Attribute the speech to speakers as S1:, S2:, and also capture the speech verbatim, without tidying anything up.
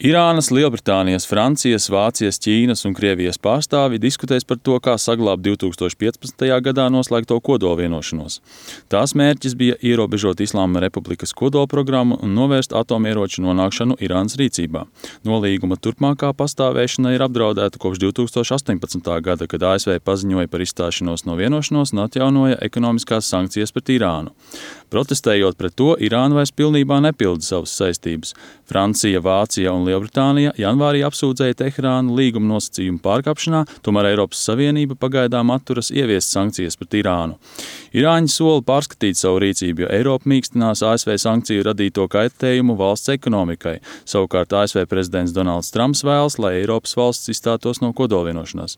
S1: Irānas, Lielbritānijas, Francijas, Vācijas, Ķīnas un Krievijas pārstāvji diskutēs par to, kā saglābt divi tūkstoši piecpadsmitajā gadā noslēgto kodolvienošanos. Tās mērķis bija ierobežot Islāma Republikas kodolprogrammu un novērst atomieroču nonākšanu Irānas rīcībā. Nolīguma turpmākā pastāvēšana ir apdraudēta kopš divi tūkstoši astoņpadsmitā gada, kad A S V paziņoja par izstāšanos no vienošanos un atjaunoja ekonomiskās sankcijas pret Irānu. Protestējot pret to, Irāna vairs pilnībā nepilda savas saistības. Francija, Vācija un Lielbritānija janvārī apsūdzēja Teherānu līguma nosacījumu pārkāpšanā, tomēr Eiropas Savienība pagaidām atturas ieviest sankcijas pret Irānu. Irāņi sola pārskatīt savu rīcību, jo Eiropa mīkstinās A S V sankciju radīto kaitējumu valsts ekonomikai. Savukārt A S V prezidents Donalds Trumps vēlas, lai Eiropas valsts izstātos no kodolvienošanās.